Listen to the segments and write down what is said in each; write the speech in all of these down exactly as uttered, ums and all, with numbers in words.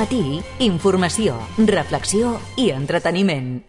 matí, informació, reflexió i entreteniment.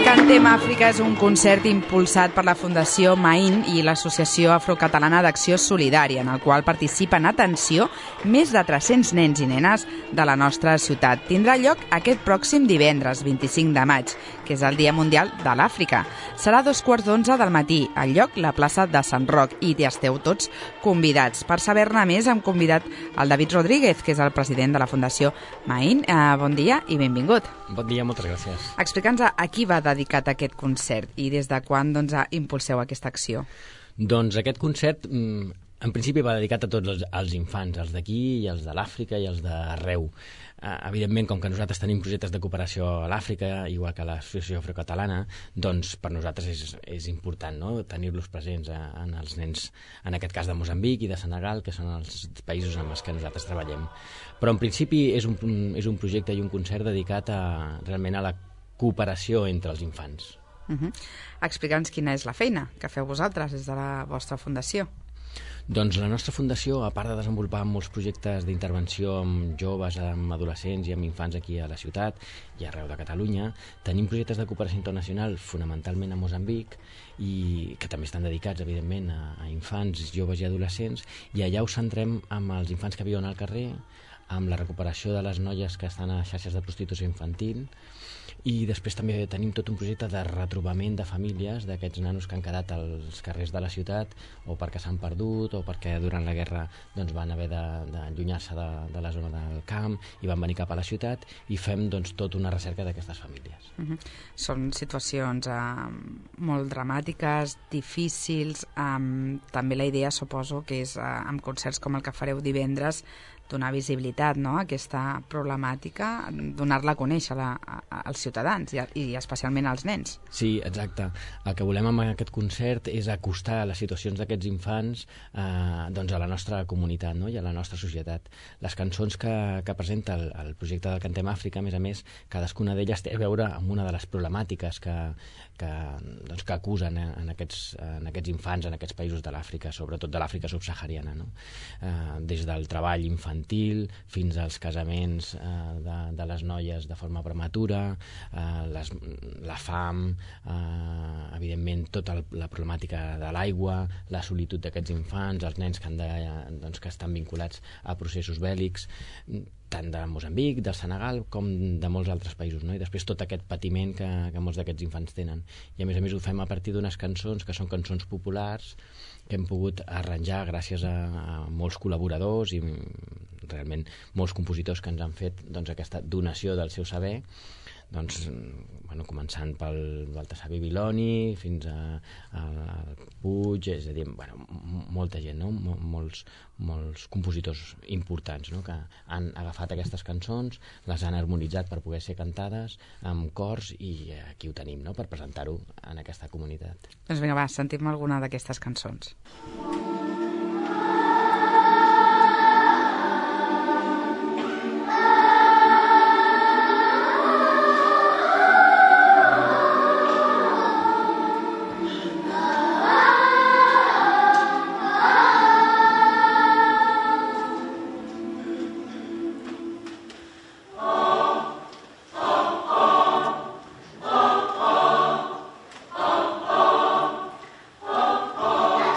Cantem Àfrica és un concert impulsat per la Fundació Maín i l'Associació Afrocatalana d'Acció Solidària, en el qual participen, atenció, més de tres-cents nens i nenes de la nostra ciutat. Tindrà lloc aquest pròxim divendres, vint-i-cinc de maig, que és el Dia Mundial de l'Àfrica. Serà a dos quarts d'onze del matí, al lloc la plaça de Sant Roc, i hi esteu tots convidats. Per saber-ne més hem convidat el David Rodríguez, que és el president de la Fundació Maín. Eh, bon dia i benvingut. Bon dia, moltes gràcies. Explica'ns a qui va dedicat aquest concert i des de quan doncs, impulseu aquesta acció. Doncs aquest concert, en principi, va dedicat a tots els, els infants, els d'aquí i els de l'Àfrica i els d'arreu. Uh, evidentment, com que nosaltres tenim projectes de cooperació a l'Àfrica, igual que l'Associació Afrocatalana, doncs per nosaltres és, és important, no?, tenir-los presents a, en els nens, en aquest cas de Moçambic i de Senegal, que són els països amb els que nosaltres treballem. Però en principi és un, és un projecte i un concert dedicat a, realment a la cooperació entre els infants. Uh-huh. Explica'ns quina és la feina que feu vosaltres des de la vostra fundació. Doncs la nostra fundació, a part de desenvolupar molts projectes d'intervenció amb joves, amb adolescents i amb infants aquí a la ciutat i arreu de Catalunya, tenim projectes de cooperació internacional fonamentalment a Moçambic i que també estan dedicats, evidentment, a, a infants, joves i adolescents, i allà ho centrem amb els infants que viuen al carrer, amb la recuperació de les noies que estan a xarxes de prostitució infantil, i després també tenim tot un projecte de retrobament de famílies d'aquests nanos que han quedat als carrers de la ciutat o perquè s'han perdut o perquè durant la guerra doncs, van haver d'allunyar-se de, de, de la zona del camp i van venir cap a la ciutat, i fem doncs, tota una recerca d'aquestes famílies. Uh-huh. Són situacions eh, molt dramàtiques, difícils, eh, també la idea suposo que és eh, amb concerts com el que fareu divendres donar visibilitat, no?, a aquesta problemàtica, donar-la a conèixer a, a, als ciutadans i, i especialment als nens. Sí, exacte. El que volem amb aquest concert és acostar les situacions d'aquests infants eh, doncs a la nostra comunitat, no?, i a la nostra societat. Les cançons que, que presenta el, el projecte del Cantem Àfrica, a més a més, cadascuna d'elles té a veure amb una de les problemàtiques que, que, doncs, que acusen eh, en, aquests, en aquests infants, en aquests països de l'Àfrica, sobretot de l'Àfrica subsahariana, no? Eh, des del treball infantil fins als casaments eh, de, de les noies de forma prematura, eh, les, la fam, eh, evidentment tota el, la problemàtica de l'aigua, la solitud d'aquests infants, els nens que, han de, doncs, que estan vinculats a processos bèl·lics, tant de Moçambic, del Senegal, com de molts altres països, no? I després tot aquest patiment que, que molts d'aquests infants tenen. I a més a més ho fem a partir d'unes cançons que són cançons populars que hem pogut arranjar gràcies a, a molts col·laboradors i realment molts compositors que ens han fet doncs, aquesta donació del seu saber, doncs, bueno, començant pel Baltasar Bibiloni fins a, a, a Puig, és a dir, bueno, molta gent, no? molts, molts compositors importants, no?, que han agafat aquestes cançons, les han harmonitzat per poder ser cantades amb cors, i aquí ho tenim, no?, per presentar-ho en aquesta comunitat. Doncs vinga, va, sentim alguna d'aquestes cançons.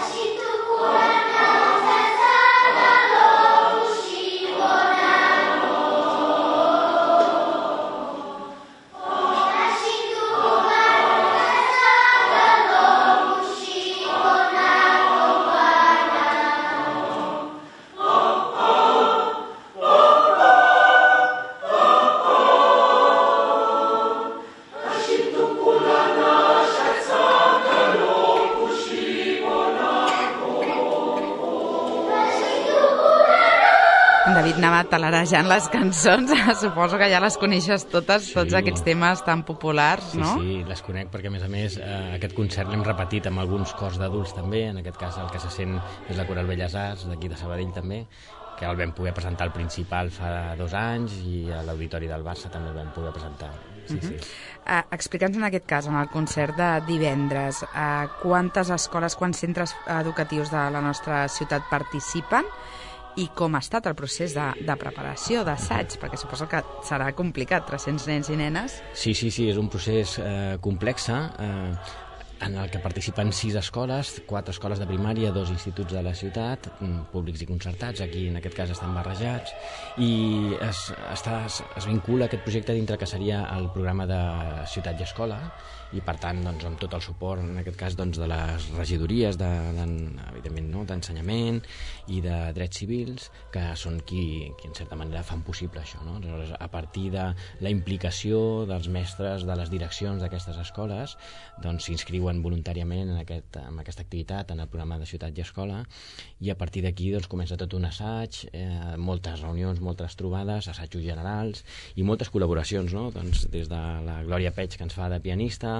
Situ David anava talarejant les cançons, suposo que ja les coneixes totes, sí. Tots aquests temes tan populars, sí, no? Sí, sí, les conec perquè a més a més eh, aquest concert l'hem repetit amb alguns cors d'adults també, en aquest cas el que se sent és la Coral Belles Arts d'aquí de Sabadell també, que el vam poder presentar al Principal fa dos anys i a l'Auditori del Barça també el vam poder presentar. Sí, uh-huh. sí. Uh, Explica'ns en aquest cas, en el concert de divendres, uh, quantes escoles, quants centres educatius de la nostra ciutat participen i com ha estat el procés de, de preparació, d'assaig, perquè suposo que serà complicat, tres-cents nens i nenes. Sí, sí, sí, és un procés eh, complex, eh, en el que participen sis escoles, quatre escoles de primària, dos instituts de la ciutat, públics i concertats, aquí en aquest cas estan barrejats, i es, està, es vincula aquest projecte dintre que seria el programa de Ciutat i Escola, i per tant doncs, amb tot el suport en aquest cas doncs, de les regidories de, de, evidentment no? d'ensenyament i de drets civils que són qui, qui en certa manera fan possible això, no? Aleshores, a partir de la implicació dels mestres de les direccions d'aquestes escoles doncs s'inscriuen voluntàriament en, aquest, en aquesta activitat, en el programa de Ciutat i Escola, i a partir d'aquí doncs, comença tot un assaig, eh, moltes reunions, moltes trobades, assajos generals i moltes col·laboracions, no? Doncs, des de la Glòria Peig, que ens fa de pianista,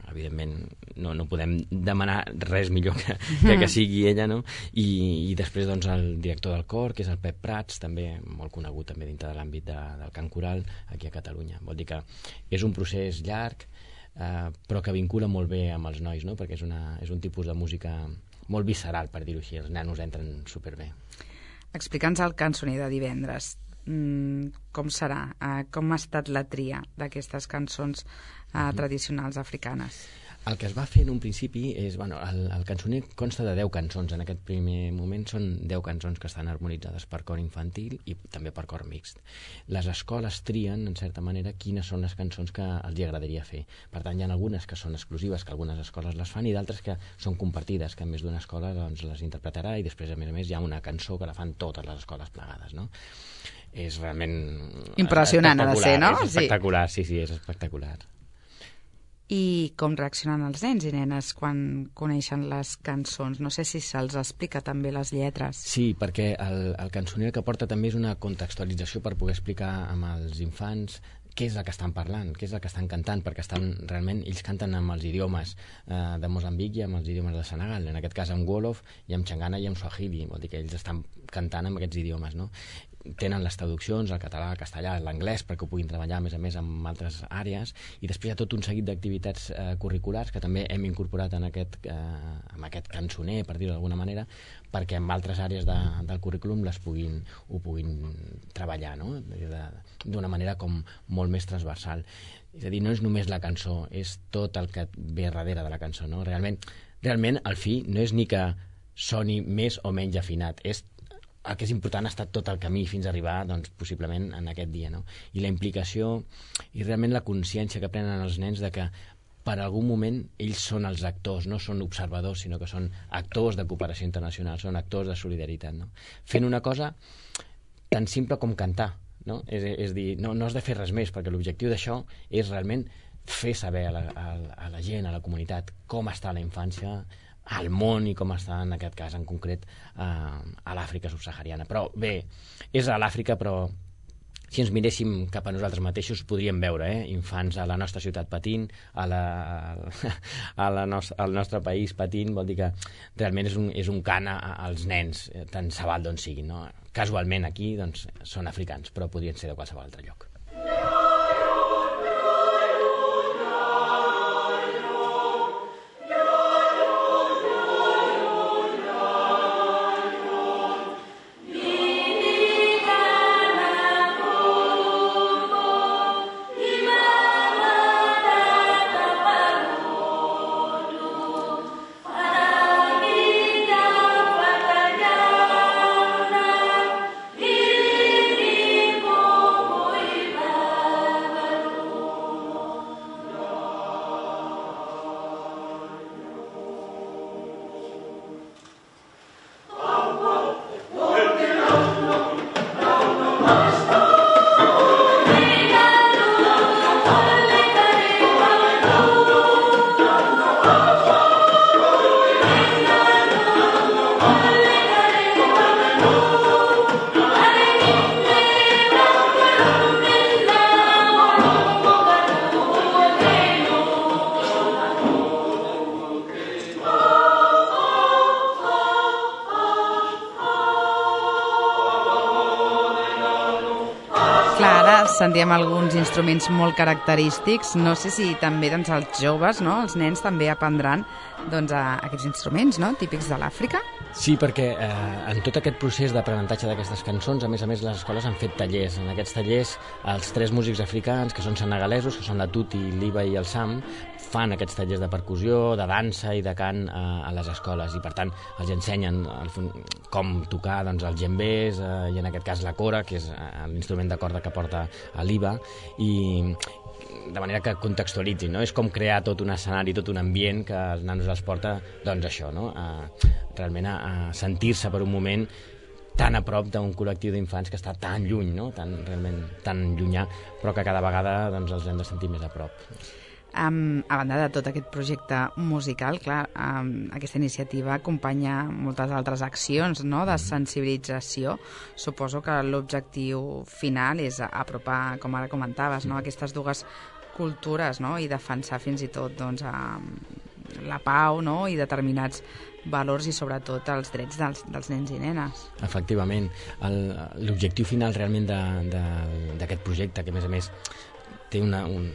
evidentment no, no podem demanar res millor que, que, que sigui ella, no? I, i després doncs, el director del cor, que és el Pep Prats, també molt conegut també dintre de l'àmbit de, del cant coral aquí a Catalunya. Vol dir que és un procés llarg, eh, però que vincula molt bé amb els nois, no? Perquè és, una, és un tipus de música molt visceral, per dir-ho així. Els nanos entren superbé. Explica'ns el cançoner de divendres. Mm, com serà? Uh, com ha estat la tria d'aquestes cançons uh, mm-hmm. tradicionals africanes? El que es va fer en un principi és... Bueno, el, el cançoner consta de deu cançons. En aquest primer moment són deu cançons que estan harmonitzades per cor infantil i també per cor mixt. Les escoles trien, en certa manera, quines són les cançons que els agradaria fer. Per tant, hi ha algunes que són exclusives, que algunes escoles les fan, i d'altres que són compartides, que més d'una escola doncs, les interpretarà, i després, a més a més, hi ha una cançó que la fan totes les escoles plegades, no? És realment... impressionant ha de ser, no? És espectacular, sí, sí, és espectacular. I com reaccionen els nens i nenes quan coneixen les cançons? No sé si se'ls explica també les lletres. Sí, perquè el, el cançoner que porta també és una contextualització per poder explicar amb els infants què és el que estan parlant, què és el que estan cantant, perquè estan realment, ells canten amb els idiomes eh, de Moçambic i amb els idiomes de Senegal, en aquest cas amb Wolof i amb Xangana i amb Swahili, vol dir que ells estan cantant amb aquests idiomes, no? Tenen les traduccions, el català, el castellà, l'anglès, perquè ho puguin treballar, a més a més, en altres àrees, i després hi ha tot un seguit d'activitats eh, curriculars que també hem incorporat en aquest, eh, en aquest cançoner, per dir-ho d'alguna manera, perquè en altres àrees de, del currículum les puguin, ho puguin treballar, no? D'una manera com molt més transversal. És a dir, no és només la cançó, és tot el que ve darrere de la cançó, no? Realment, realment, al fi, no és ni que soni més o menys afinat, és el que és important ha estat tot el camí fins a arribar, doncs, possiblement en aquest dia, no? I la implicació i realment la consciència que prenen els nens de que per algun moment ells són els actors, no són observadors, sinó que són actors de cooperació internacional, són actors de solidaritat, no? Fent una cosa tan simple com cantar, no? És, és dir, no, no has de fer res més, perquè l'objectiu d'això és realment fer saber a la, a, a la gent, a la comunitat, com està la infància al món i com està en aquest cas en concret eh, a l'Àfrica subsahariana. Però bé, és a l'Àfrica, però si ens miréssim cap a nosaltres mateixos podríem veure eh, infants a la nostra ciutat patint, a la, a la nos, al nostre país patint, vol dir que realment és un, és un cant als nens, tant se val d'on siguin, no? Casualment aquí doncs, són africans, però podrien ser de qualsevol altre lloc. Ara sentíem alguns instruments molt característics. No sé si també doncs, els joves, no? Els nens també aprendran doncs, a aquests instruments, no? Típics de l'Àfrica. Sí, perquè eh, en tot aquest procés d'aprenentatge d'aquestes cançons, a més a més, les escoles han fet tallers. En aquests tallers, els tres músics africans, que són senegalesos, que són la Tuti, l'Iba i el Sam, fan aquests tallers de percussió, de dansa i de cant a, a les escoles, i per tant els ensenyen el, com tocar doncs, els djembés, eh, i en aquest cas la cora, que és l'instrument de corda que porta l'Iba, i de manera que contextualitzin, no? És com crear tot un escenari, tot un ambient que els nanos els porta, doncs això, no? A, realment a, a sentir-se per un moment tan a prop d'un col·lectiu d'infants que està tan lluny, no? Tan, realment tan llunyà, però que cada vegada doncs, els hem de sentir més a prop. Um, a banda de tot aquest projecte musical, clar, um, aquesta iniciativa acompanya moltes altres accions, no?, de sensibilització. Suposo que l'objectiu final és apropar, com ara comentaves, no?, aquestes dues cultures, no?, i defensar fins i tot doncs, a la pau, no?, i determinats valors i sobretot els drets dels, dels nens i nenes. Efectivament. L'objectiu final realment d'aquest projecte, que a més a més té una, un,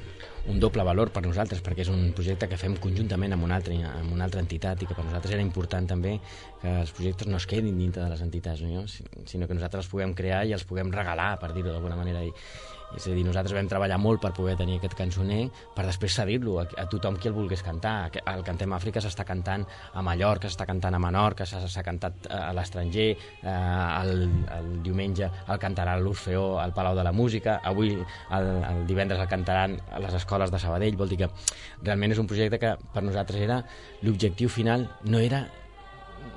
un doble valor per nosaltres, perquè és un projecte que fem conjuntament amb una altra, amb una altra entitat, i que per nosaltres era important també que els projectes no es quedin dintre de les entitats, no? Sinó que nosaltres els puguem crear i els puguem regalar, per dir-ho d'alguna manera. I, és a dir, nosaltres vam treballar molt per poder tenir aquest cançoner, per després cedir-lo a, a tothom qui el volgués cantar. El Cantem Àfrica s'està cantant a Mallorca, s'està cantant a Menorca, s'ha cantat a l'estranger, eh, el, el diumenge el cantarà a l'Orfeó, al Palau de la Música, avui el, el divendres el cantaran a les escoles de Sabadell. Vol dir que realment és un projecte que per nosaltres era l'objectiu final, no era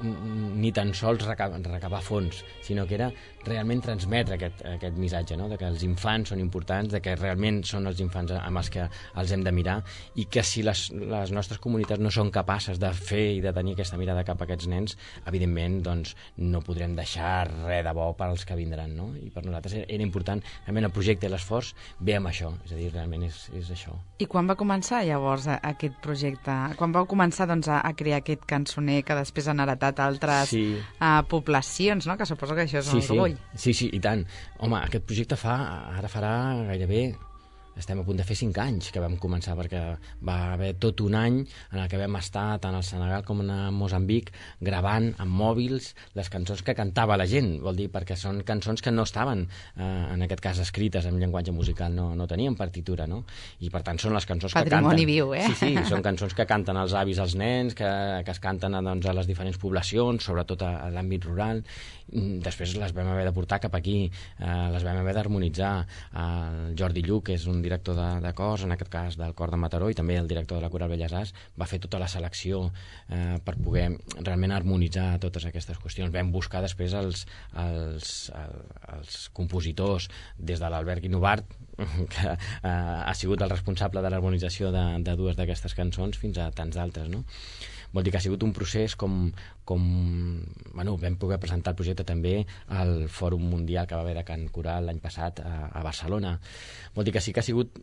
ni tan sols recabar, recabar fons, sinó que era realment transmetre aquest, aquest missatge, no?, de que els infants són importants, de que realment són els infants amb els que els hem de mirar, i que si les, les nostres comunitats no són capaces de fer i de tenir aquesta mirada cap a aquests nens, evidentment doncs, no podrem deixar res de bo per als que vindran, no? I per nosaltres era, era important, realment el projecte i l'esforç ve amb això, és a dir, realment és, és això. I quan va començar llavors aquest projecte? Quan vau començar doncs, a, a crear aquest cançoner que després han heretat altres sí. uh, poblacions, no? Que suposo que això és sí, un orgull. Sí, sí, i tant. Home, aquest projecte fa, ara farà gairebé, estem a punt de fer cinc anys que vam començar, perquè va haver tot un any en el que vam estar tant al Senegal com a Moçambic gravant amb mòbils les cançons que cantava la gent, vol dir, perquè són cançons que no estaven, eh, en aquest cas, escrites en llenguatge musical, no, no tenien partitura, no? I per tant són les cançons Patrimoni que canten. Viu, eh? Sí, sí, són cançons que canten els avis als nens, que, que es canten a, doncs, a les diferents poblacions, sobretot a, a l'àmbit rural. Després les vam haver de portar cap aquí, eh, les vam haver d'harmonitzar. El Jordi Lluc, que és un director de, de cors, en aquest cas del Cor de Mataró, i també el director de la Coral Belles Arts, va fer tota la selecció eh, per poder realment harmonitzar totes aquestes qüestions. Vam buscar després els, els, els compositors, des de l'Albert Guinovart, que eh, ha sigut el responsable de l'harmonització de, de dues d'aquestes cançons, fins a tants d'altres, no? Vol dir que ha sigut un procés com, com... Bueno, vam poder presentar el projecte també al Fòrum Mundial que va haver de Cant Coral l'any passat a, a Barcelona. Vol dir que sí que ha sigut...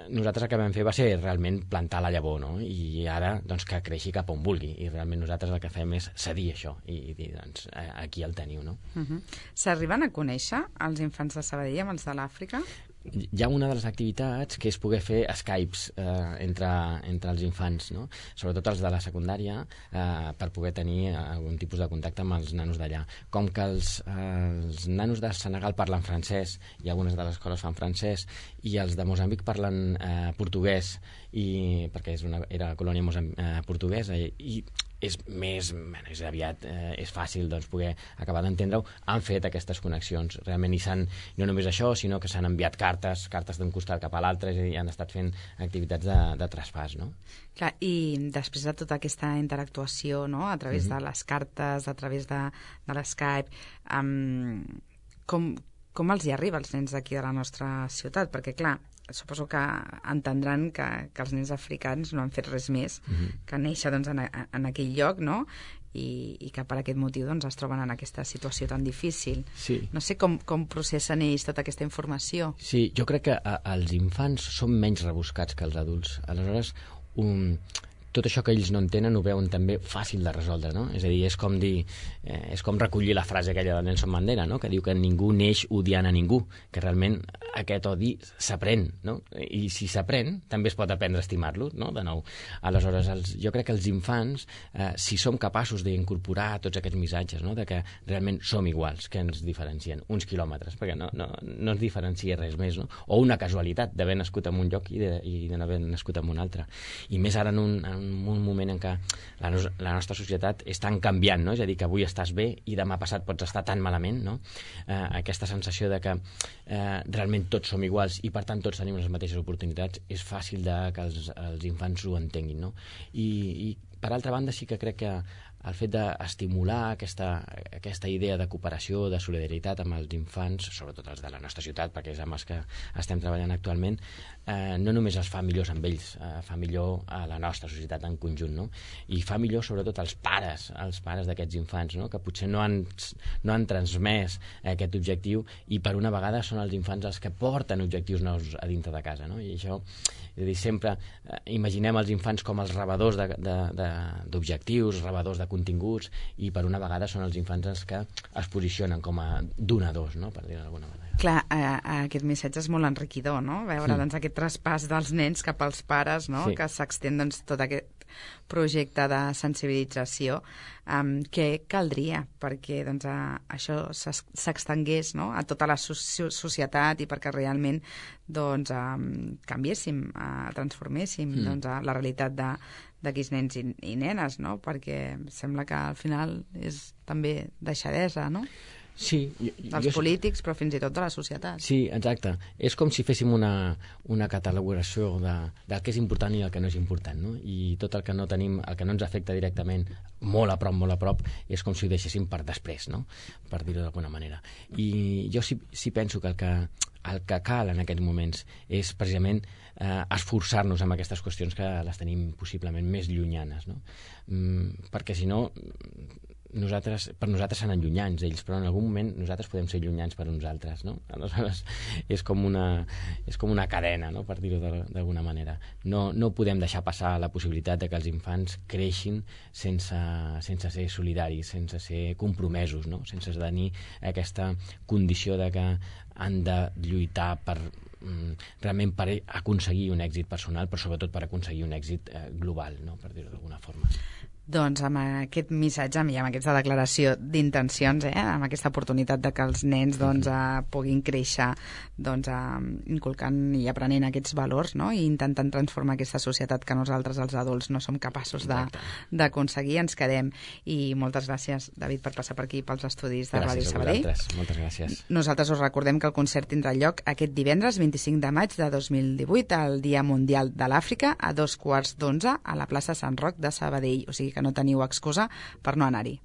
Nosaltres el que vam fer va ser realment plantar la llavor, no? I ara, doncs, que creixi cap on vulgui. I realment nosaltres el que fem és cedir això i dir, doncs, aquí el teniu, no? Uh-huh. S'arriben a conèixer els infants de Sabadell amb els de l'Àfrica? Hi ha una de les activitats que és poder fer Skypes eh, entre, entre els infants, no? Sobretot els de la secundària, eh, per poder tenir algun tipus de contacte amb els nanos d'allà. Com que els, eh, els nanos de Senegal parlen francès, i algunes de les escoles fan francès, i els de Moçambic parlen eh, portuguès, i, perquè és una, era colònia eh, portuguesa, i, i és més, bueno, és aviat, eh, és fàcil doncs, poder acabar d'entendre-ho, han fet aquestes connexions realment, i s'han, no només això, sinó que s'han enviat cartes, cartes d'un costat cap a l'altre, i han estat fent activitats de, de traspàs, no? Clar, i després de tota aquesta interactuació, no?, a través mm-hmm. de les cartes, a través de, de l'Skype, um, com, com els hi arriba als nens d'aquí de la nostra ciutat? Perquè, clar, suposo que entendran que, que els nens africans no han fet res més mm-hmm. que néixer doncs, en, en aquell lloc, no?, I, i que per aquest motiu doncs, es troben en aquesta situació tan difícil. Sí. No sé com, com processen ells tota aquesta informació. Sí, jo crec que a, els infants són menys rebuscats que els adults. Aleshores, un, tot això que ells no entenen ho veuen també fàcil de resoldre, no? És a dir, és com dir, eh, és com recollir la frase aquella de Nelson Mandela, no? Que diu que ningú neix odiant a ningú, que realment aquest odi s'aprèn, no? I si s'aprèn, també es pot aprendre a estimar-lo, no? De nou. Aleshores, els, jo crec que els infants, eh, si som capaços d'incorporar tots aquests missatges, no? De que realment som iguals, que ens diferencien uns quilòmetres, perquè no, no, no ens diferencia res més, no? O una casualitat d'haver nascut en un lloc i de, i de n'haver nascut en un altre. I més ara en un, en un moment en què la, nos, la nostra societat és tan canviant, no? És a dir, que avui estàs bé i demà passat pots estar tan malament, no? Eh, aquesta sensació de que eh, realment tots som iguals i per tant tots tenim les mateixes oportunitats, és fàcil de que els, els infants ho entenguin, no? I, i per altra banda sí que crec que el fet d'estimular aquesta, aquesta idea de cooperació, de solidaritat amb els infants, sobretot els de la nostra ciutat, perquè és amb els que estem treballant actualment, eh, no només els fa millors amb ells, eh, fa millor a la nostra societat en conjunt, no? I fa millor sobretot als pares, als pares d'aquests infants, no? Que potser no han, no han transmès aquest objectiu i per una vegada són els infants els que porten objectius nous a dintre de casa, no? I això, és a dir, sempre eh, imaginem els infants com els rebedors d'objectius, rebedors de continguts, i per una vegada són els infants els que es posicionen com a donadors, no? Per dir-ho d'alguna manera. Clar, eh, aquest missatge és molt enriquidor, no? Veure Mm. doncs, aquest traspàs dels nens cap als pares, no? Sí. Que s'extén doncs, tot aquest projecte de sensibilització, um, què caldria perquè doncs, a, això s'es- s'extengués, no? A tota la so- societat i perquè realment doncs, um, canviéssim, uh, transforméssim Mm. doncs, a la realitat de d'aquells nens i, i nenes, no? Perquè sembla que al final és també deixadesa, no? Sí, jo, Dels jo, polítics, però fins i tot de la societat. Sí, exacte. És com si féssim una, una catalogació de, del que és important i el que no és important, no? I tot el que no tenim, el que no ens afecta directament molt a prop, molt a prop, és com si ho deixéssim per després, no? Per dir-ho d'alguna manera. I jo sí, sí penso que el que el que cal en aquests moments és precisament eh, esforçar-nos amb aquestes qüestions que les tenim possiblement més llunyanes, no? Mm, perquè si no nosaltres, per nosaltres seran llunyans ells, però en algun moment nosaltres podem ser llunyans per uns altres, no? Aleshores és com una, és com una cadena, no? Per dir-ho d'alguna manera. No, no podem deixar passar la possibilitat de que els infants creixin sense, sense ser solidaris, sense ser compromesos, no? Sense tenir aquesta condició de que han de lluitar per realment per aconseguir un èxit personal, però sobretot per aconseguir un èxit eh, global, no? Per dir-ho d'alguna forma. Doncs amb aquest missatge i amb aquesta declaració d'intencions, eh, amb aquesta oportunitat de que els nens doncs, eh, puguin créixer doncs, eh, inculcant i aprenent aquests valors, no? I intentant transformar aquesta societat que nosaltres, els adults, no som capaços d'aconseguir, ens quedem. I moltes gràcies, David, per passar per aquí pels estudis de Ràdio Sabadell. Gràcies a vosaltres, moltes gràcies. Nosaltres us recordem que el concert tindrà lloc aquest divendres vint-i-cinc de maig de dos mil divuit, el Dia Mundial de l'Àfrica, a dos quarts d'onze a la plaça Sant Roc de Sabadell. O sigui que no teniu excusa per no anar-hi.